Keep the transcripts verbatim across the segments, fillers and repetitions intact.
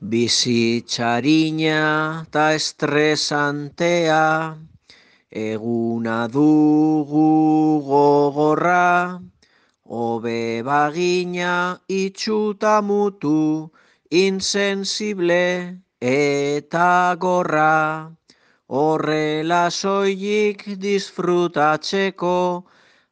Bizitzarina ta estresantea, eguna dugu gogorra, hobe bagina itxuta mutu, insensible eta gorra. Horrela soilik disfrutatzeko,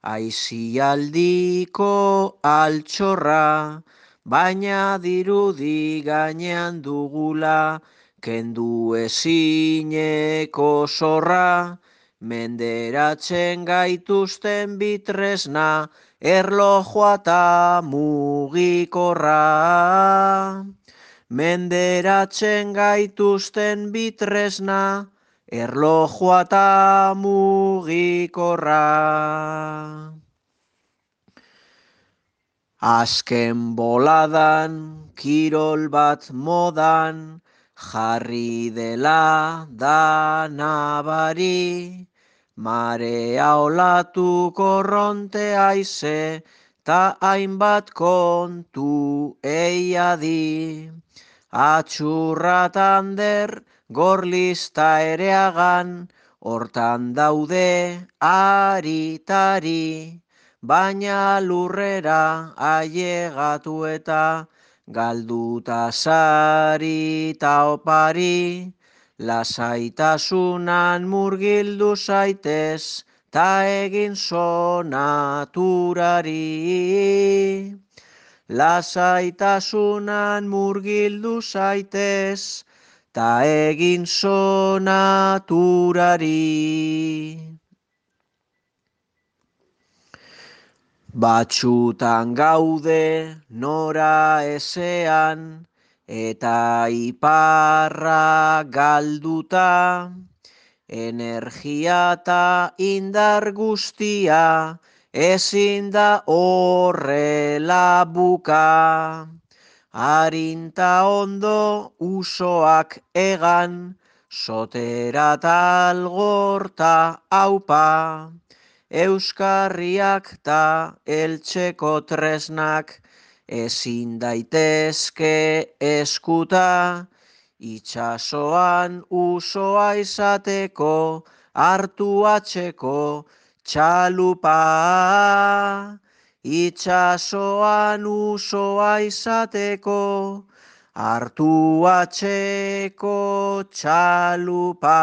aizialdiko altxorra, baina dirudi gainean dugula, kendu ezineko zorra, menderatzen gaituzten bitresna, erlojua ta mugikorra. Menderatzen gaituzten bitresna, erlojua ta mugikorra. Azken boladan, kirol bat modan, jarri dela da nabari, marea olatu korronte aize, ta hainbat kontu eiadi. Atxurra tander, gorlista ereagan, hortan daude aritari, baina lurrera ailegatu eta galduta sari ta opari, lasaitasunan murgildu zaitez, ta egin sonaturari. Lasaitasunan murgildu zaitez, ta egin sonaturari. Batxutan gaude nora ezean, eta iparra galduta, energia ta indar guztia, ezin da horrela buka. Arinta ondo usoak egan, sotera talgorta aupa. Euskarriak ta eltzeko tresnak, ezin daitezke eskuta, itxasoan usoa izateko, hartu atxeko txalupa. Itxasoan usoa izateko, hartu atxeko txalupa.